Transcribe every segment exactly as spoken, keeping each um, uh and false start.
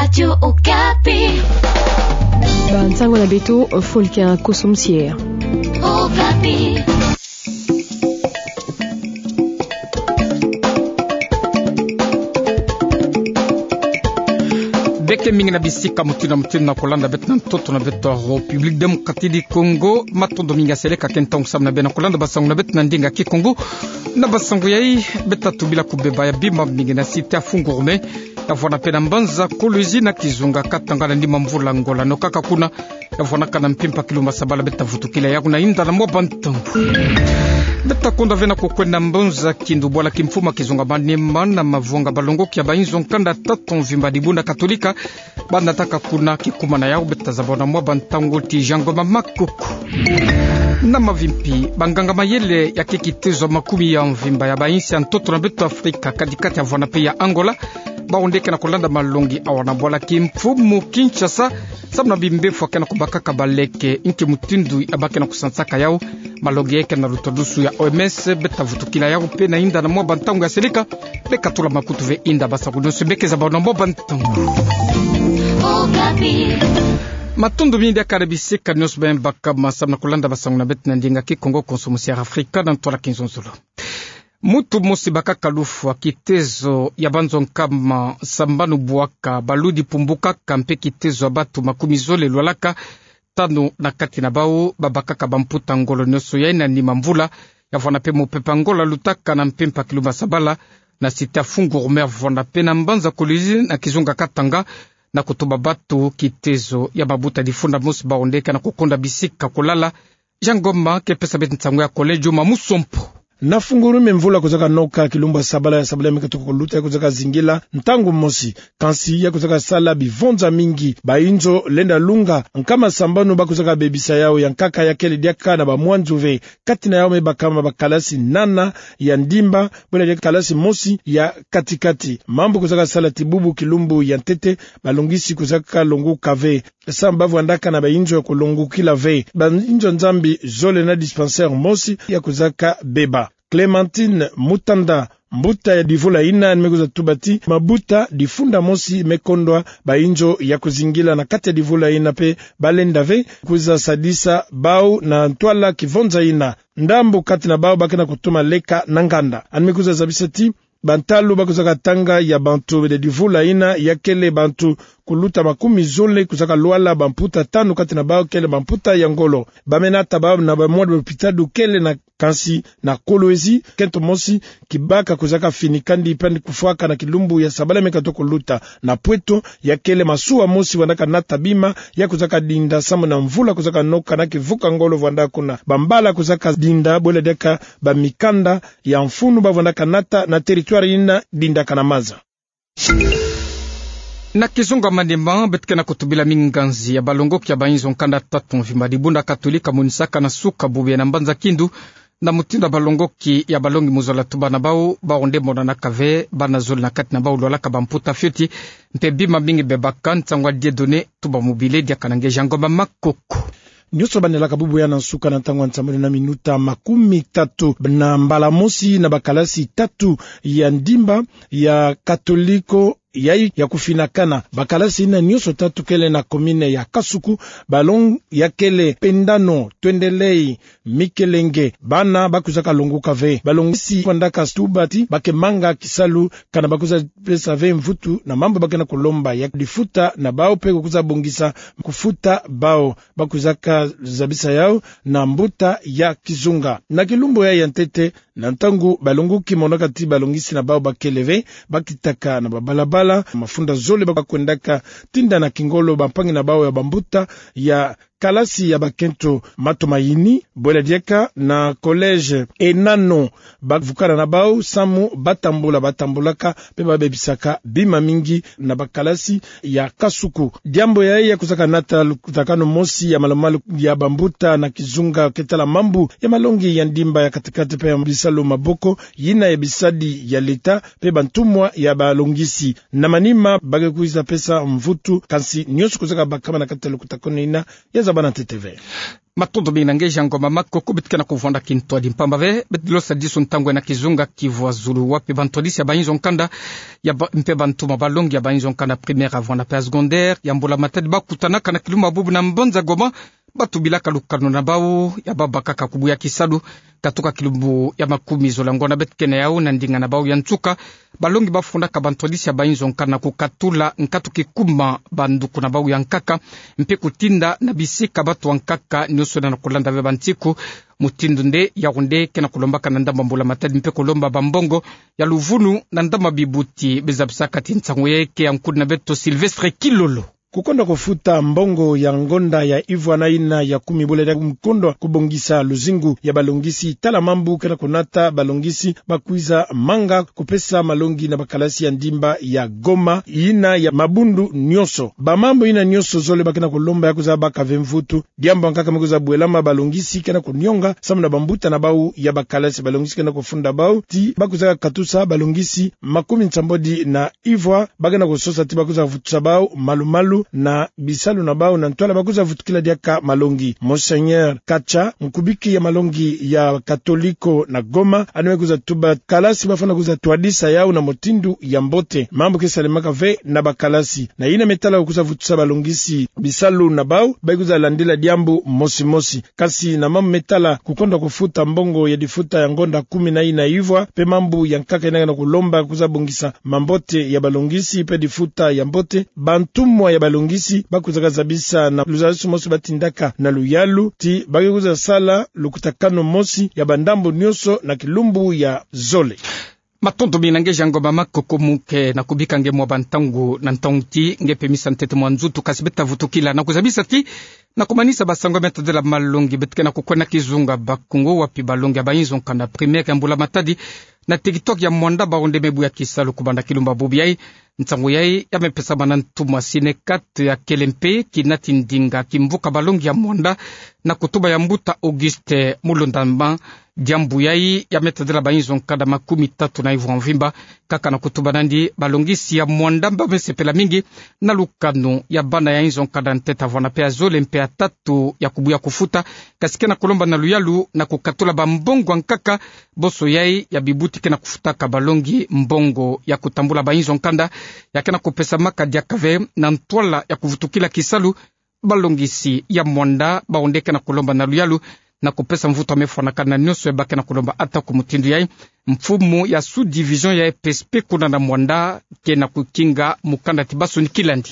Radio Okapi. Bansango na beto, Folkin Kosom Sier. Okapi. Beke mingi na bisika mutindu na mutindu na kolanda beto na ntoto na beto ya République Démocratique du Congo. Matondo mingi ya seleka ke ntangu samu na beno kolanda bansango na beto na ndinga Kikongo. Na bansango yai, beta tubila kubeba ya bima mingi na site ya Fungurume, ya vwanda mpe na mbanza Kolwezi na kizunga Katanga na nima mvula Angola. No kaka kuna, ya vwanaka na mpimpa kilumbu ya sabala, beta vutukila yaku na inda na mwa bantangu. Beta konda ve na kukwenda mbanza Kindu, bwala kimfumu ya kizunga Maniema, na mavwanga balongoki ya bainzo nkanda tatu mvimba dibunda Katolika, ba nataka kuna. Kikuma na yawu, beta zaba na mwa bantangu ti Jean Ngoma Makoko. Na mavimpi, banganga-mayele ya ke kitezo ya makumi ya mvimba ya bainsi ya ntoto na beto Afrika kati-kati ya vwanda mpe ya Angola, bawu nde ke na kolanda malongi awa na bwala kimfumu Kinshasa, samu na bimbefu ya ke na kubakaka baleke, nki mutindu ya ba ke na kusansaka yawu. Malongi yai ke na lutodusu ya O M S, beta vutukila yawu mpe na inda na mwa bantangu ya seleka. Beka tula makutu ve inda bansango nyonso beke zaba na mwa bantangu. Okapi. Matondo mingi diaka na bisika nyonso beno bakama samu na kolanda bansango na beto na ndinga Kikongo, Kosom Sier Afrika, na ntwala kizonzolo. Muntu mosi bakaka lufwa, kitezo ya banzo nkama sambanu bwaka, baludi pumbukaka mpe kitezo ya bantu makumi zole lwalaka, tanu na kati na bawu babakaka bamputa ngolo nyonso yai na nima mvula, ya vwanda mpe mopepe ya ngolo lutaka na mpimpa kilumbu ya sabala, na site ya Fungurume, ya vwanda mpe na mbanza Kolwezi na kizunga Katanga, na kutuba bantu kitezo ya mabuta difunda mosi, bawu nde ke na kukonda bisika kulala. Jean Ngoma ke pesa beto nsangu ya Collège Juma Musompo. Na Fungurume, mvula kwizaka noka kilumbu ya sabala, ya sabala ya me katuka kuluta, ya kwizaka zingila ntangu mosi, kansi ya kwizaka sala bivonza mingi. Bainzo lenda lunga nkama sambanu ba kwizaka bebisa yawu, ya nkaka ya kele diaka na bamwanzu ve. Kati na yawu me bakama bakalasi nana ya ndimba, bwela diaka kalasi mosi ya kati-kati. Mambu kwizaka sala ti bubu kilumbu ya ntete, balongisi kwizaka longoka ve. Samu ba vwandaka na bainzo ya kulongokila ve. Bainzo Nzambi zole na dispensaire mosi ya kwizaka beba. Clémentine Mutanda, mbuta ya divula ina, ni me kwiza tuba ti mabuta difunda mosi me kondwa bainzo ya kuzingila na kati ya divula ina, mpe balenda ve kwiza sadisa bawu na ntwala kivonza ina. Ndambu kati na bawu ba ke na kutuma leka na nganda. Ni me kwiza zabisa ti bantalu ba kwizaka tanga ya bantu ya divula ina ya kele bantu kuluta makumi zole, kwizaka lwala bamputa tanu, kati na bawu kele bamputa ya ngolo. Ba me nata bawu na bamwadi lopitadi kele na, kansi na Kolwezi, kento mosi kibaka kwizaka fini kandi pandi kufwaka na kilumbu ya sabala me katuka kuluta. Na Pweto, ya kele masuwa mosi vwandaka nata bima ya kwizaka dinda samu na mvula kwizaka noka na kivuka ngolo vwanda kuna. Bambala kwizaka dinda, bwela diaka bamikanda ya mfunu ba vwandaka nata na territoire ina dindaka na maza. Na kizunga Maniema, beto ke na kutubila minganzi ya balongoki ya bainzo nkanda tatu mvimba, dibunda Katolika, monisaka na suka bubu yai na mbanza Kindu, na mutindu ya balongoki ya balongi mu zola tuba na bawu, bawu nde monanaka ve bana zole na kati na bawu lwalaka bamputa fioti, mpe bima mingi bebaka. Nsangu ya Dieudonné Tumba Mobile diaka na nge Jean Ngoma Makoko. Nyonso banelaka bubu yai na nsuka na ntangu ya nsambanu na minuta makumi tatu, na mbala mosi na bakalasi tatu ya ndimba ya Katoliko yai ya kufinakana. Bakalasi ina nyonso tatu kele na commune ya Kasuku, balongi ya kele Pendano, Twendelei, Mikelenge. Bana ba kwizaka longoka ve. Balongisi vwandaka tuba ti ba ke manga kisalu, kana ba kwiza pesa ve mvutu na mambu ba ke na kulomba ya difuta na bawu mpe kukwiza bongisa kufuta bawu. Ba kwizaka zabisa yawu na mbuta ya kizunga. Na kilumbu yai ya ntete, na ntangu balongoki monaka ti balongisi na bawu ba kele ve, ba kitaka na babalabala, mafunda zole ba kwendaka tinda na kingolo bampangi na bawu ya bambuta ya kalasi ya bakento Matumaini, bwela diaka na collège Enano. Ba vukana na bawu samu ba tambula, ba tambulaka, mpe ba bebisaka bima mingi na bakalasi ya Kasuku. Diambu yai ya kwizaka nata lukutakanu mosi ya malumalu ya bambuta na kizunga ke tala mambu ya malongi ya ndimba ya katikati mpe ya bisalu maboko, yina ya bisadi ya leta mpe bantumwa ya balongisi. Na manima ba ke kwiza pesa mvutu, kansi nyonso kwizaka bakama na kati ya lukutakanu yina ya zabana ntete ve. Matondo mingi na nge Jean Ngoma Makoko. Beto ke na kuvwanda kintwadi mpamba ve, beto dilosadisu ntangu ena kizunga kivwazulu, wapi bantwadisi ya bainzo nkanda ya ba, mpe bantumwa balongi ya bainzo nkanda primaire, avant na pe ya secondaire, ya Mbula Matadi, bakutanaka na kilumbu bubu na mbanza Goma, batubilaka lukanu na bau ya babakaka kubuya kisalu, katuka kilumbu ya makumi zole ya ngonda. Beto ke na yau na ndinga na bau ya nsuka, balongi bafundaka bantwadisi ya bainzo nkanda na kukatula nkatu kikuma banduku na bau ya nkaka, mpe kutinda na bisika batu ya nkaka nioso na kulanda ve bansiku. Mutindu nde, yau nde ke na kulombaka na ndambu ya Mbula Matadi mpe kulomba bambongo ya luvunu na ndambu ya bibuti. Bizabisaka ti nsangu yayi ke ya nkulu na beto Sylvestre Kilolo. Kukonda kufuta mbongo ya ngonda ya ivwa na yina ya kumi bula dia kukonda kubongisa luzingu ya balongisi, tala mambu ke na kunata balongisi bakwiza manga kupesa malongi na bakalasi ya ndimba ya Goma, yina ya mabundu nioso. Bamambu yina nioso zole ba ke na kulomba ya kwiza baka ve mvutu. Diambu ya nkaka me kwiza bwelama, balongisi ke na kunionga samu na bambuta na bau ya bakalasi. Balongisi ke na kufunda bau ti bakwiza katusa balongisi makumi nsambwadi na ivwa, ba ke na kusosa ti bakwiza vutusa bau malu-malu na bisalu na bau, na ntwala bakwiza vutukila diaka malongi. Monseigneur Kacha, nkubiki ya malongi ya Katoliko na Goma, yandi me kwiza tuba kalasi bafwana kwiza twadisa yau na mutindu ya mbote. Mambu ke salemaka ve na bakalasi. Na yina me tala kwiza vutusa balongisi bisalu na bau, ba kwiza landila diambu mosi-mosi. Kasi na mambu me tala kukonda kufuta mbongo ya difuta ya ngonda kumi na yina ivwa, mpe mambu ya nkaka yina ke na kulomba kwiza bongisa mambote ya balongisi mpe difuta ya mbote, bantumwa ya balongisi bakwizaka zabisa na luzabisi mosi batindaka na luyalu ti ba ke kwiza sala lukutakanu mosi ya bandambu nioso na kilumbu ya zole. Matondo mingi na nge Jean Ngoma Makoko, mu ke na kubika nge mwa bantangu na ntangu ti nge pemisa ntete mwa nzutu, kasi beto ta vutukila na kuzabisa ti na kumanisa basango ya me tadila malongi, beto ke na kukwenda kizunga Bakongo, wapi balongi ya bainzo nkanda primaire ya Mbula Matadi na territoire ya Muanda, bau nde me buya kisalu kubanda kilumbu bubu yayi. Nsangu yayi ya me pesama na ntumwa Sinekat ya kele mpe kinati ndinga kimvuka balongi ya Muanda na kutuba ya mbuta Auguste Mulondamba. Diambu yayi ya me tadila bainzo nkanda makumi tatu na ivwa mvimba. Kaka na kutuba nandi, balongisi ya Muanda ba me sepela mingi na lukanu ya bana ya inzo nkanda ntete, avant na pe ya zole mpe ya tatu ya kubuya kufuta, kasi ke na kulomba na luyalu na kukatula bambongo ya nkaka. Bonso yayi ya bibuti ke na kufutaka balongi, mbongo ya kutambula bainzo nkanda ya ke na kupesamaka diaka ve na ntwala ya kuvutukila kisalu. Balongisi ya Muanda bau nde ke na kulomba na luyalu na kupesa mvutu ya me fwanakana nionso ya ba ke na kulomba. Ata ku mutindu yayi, mfumu ya sous-division ya E P S P kuna na Muanda ke na kukinga mukanda ti basonikila ndi.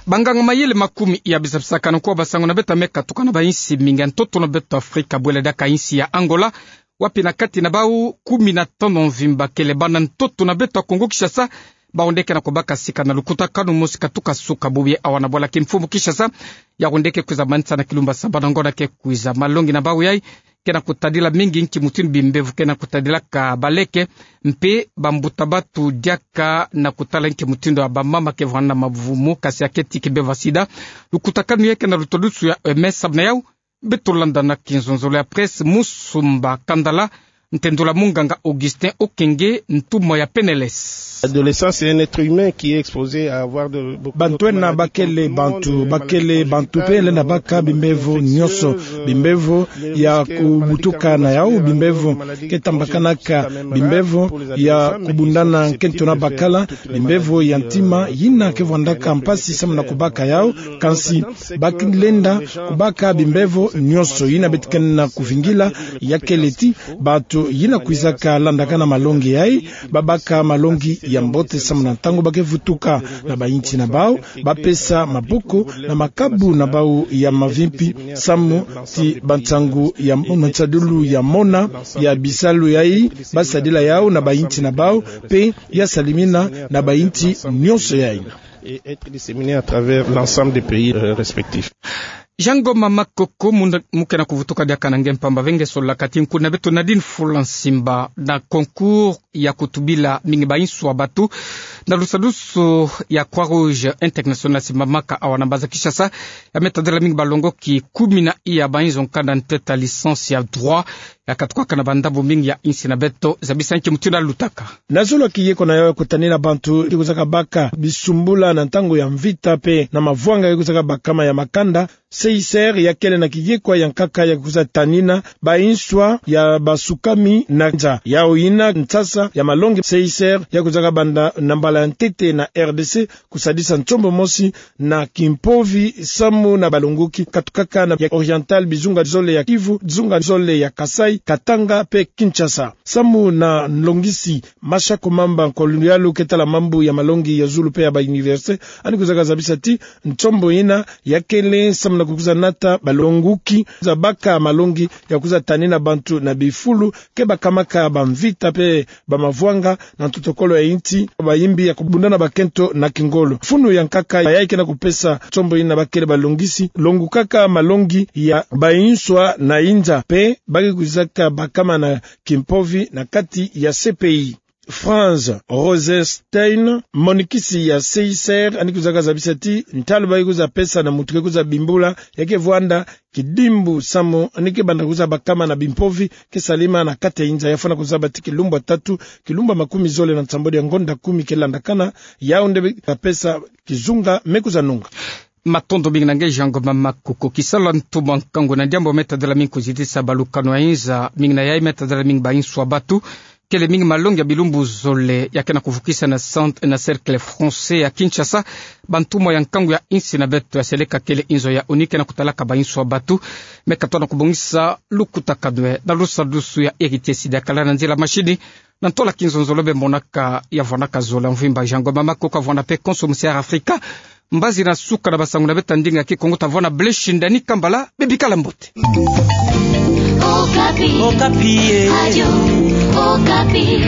Banganga mayele makumi ya bizabisakana kwa basango na beto ya me katuka na bainsi mingi ya ntoto na beto Afrika, bwela diaka insi ya Angola, wapi na kati na bau kumi na tanu mvimba kele bana ntoto na beto ya Kongo Kinshasa, bau nde ke na kubaka sika na lukutakanu mosi katuka suka bubu yayi. Awa na bwala kimfumu Kinshasa, yau nde ke kwiza manisa na kilumbu sambanu ya ngonda ke kwiza. Malongi na bau yayi ke na kutadila mingi nki mutindu bimbevo ke na kutadilaka baleke, mpe bambuta batu diaka na kutala nki mutindu ya bamama ke vwanda mavumu, kasi ya keti kimbevo ya sida. Lukutakanu yayi ke na lutwadusu ya E M S, samu na yau beto landa na kinzonzolo ya presse Musumba Kandala, ntendula munganga Augustin Okenge, ntumwa ya P N L S. Adolescent, c'est un être humain qui est exposé à avoir de, beaucoup de maladies. Bantu ena ba kele bantu, ba kele bantu mpe lenda baka bimbevo nionso, bimbevo ya kubutuka na yau, bimbevo ke tambakanaka, bimbevo ya kubundana nkento na bakala, bimbevo ya ntima yina ke vwandaka mpasi samu na kubaka yau. Kansi ba kilenda kubaka bimbevo nionso. Yina beto ke na kuvingila ya kele ti bantu yina kwizaka landakana malongi yayi, ba baka malongi ya mbote samu na ntangu ba ke vutuka na bainsi na bau, ba pesa maboko na makabu na bau ya mavimpi, samu ti bansangu ya, mansadilu ya mona ya bisalu yayi, ba sadila yau na bainsi na bau, mpe ya salimina na bainsi nionso yayi. Et être disséminé à travers l'ensemble des pays, euh, respectifs. Jean Ngoma Makoko, mu ke na kuvutuka diaka na nge mpamba ve, nge sololaka ti nkuna beto Nadine Fula Nsimba na concours ya kutubila mingi bainswa batu na lusadusu ya Croix-Rouge Internationale simbamaka awa na mbanza Kinshasa, ya me tadila mingi balongoki kumi na iya bainzo nkanda ntete ya licence ya droit, ya katukaka na bandambu mingi ya insi na beto. Zabisa nki mutindu ya lutaka. Na zolo ya kiyeko na yau ya kutanina bantu ke kwizaka baka bisumbula na ntangu ya mvita mpe na mavwanga ke kwizaka bakama ya makanda, Seiser ya kele na kiyekwa ya nkaka ya kwiza tanina banswa ya basukami na nza. Yau yina nsasa ya malongi Seiser ya kwizaka banda na mbala ya ntete na R D C, kusadisa nsombo mosi na kimpovi samu na balongoki, katukaka na ya Oriental, bizunga zole ya Kivu, bizunga zole ya Kasaï, Katanga pe Kinshasa. Samu na nlongisi Masha Komamba, nkolo ya lo ke tala mambu ya malongi ya zulu pe ya ba université, yandi kwizaka zabisa ti nsombo yina ya kele samu na kukwiza nata balongoki za baka malongi ya kwiza tanina bantu na bifulu ke bakamaka bamvita pe bamavwanga na ntotokolo ya insi, bayimbi ya kubunda na bakento na kingolo. Funu ya nkaka yayi ke na kupesa nsombo yina ba kele balongisi, longokaka malongi ya banswa na inza pe ba ke kwizaka bakama na kimpovi na kati ya C P I. Franz Rosenstein, monikisi ya Seiser, yandi kwizaka zabisa ti ntalu ba ke kwiza pesa na muntu ke kwiza bimbula, ya ke vwanda kidimbu samu yandi ke banda kwiza bakama na bimpovi ke salima na kati ya inza. Ya fwana kuzaba ti kilumbu ya tatu, kilumbu ya makumi zole na nsambwadi ya ngonda kumi ke landakana, yau nde ba pesa kizunga me kwiza nunga. Matondo mingi na nge Jean Ngoma Makoko. Kisalu ya ntumwa nkangu na diambu me tadila mingi kuzitisa balukanu ya inza, mingi na yayi me tadila mingi banswa batu, kele mingi malongi ya bilumbu zole ya ke na kuvukisa na centre, na Cercle Français ya Kinshasa, bantumwa ya nkangu ya insi na beto ya seleka kele inzo ya ONU ke na kutalaka banswa batu. Me katona kubongisa lukutakanu na lusadusu ya Héritier Sidya Kalala, nzila mashini na ntola kinzonzolo be monaka ya vwanaka zola mvimba. Jean Ngoma Makoko avwana pe konso musi ya Afrika. Mbazi na suka na basangu na beto ya ndinga Kikongo, tavwana Blaise Shindani Kambala, bebikala mbote. Okapi. Okapi, eh. Radio Okapi.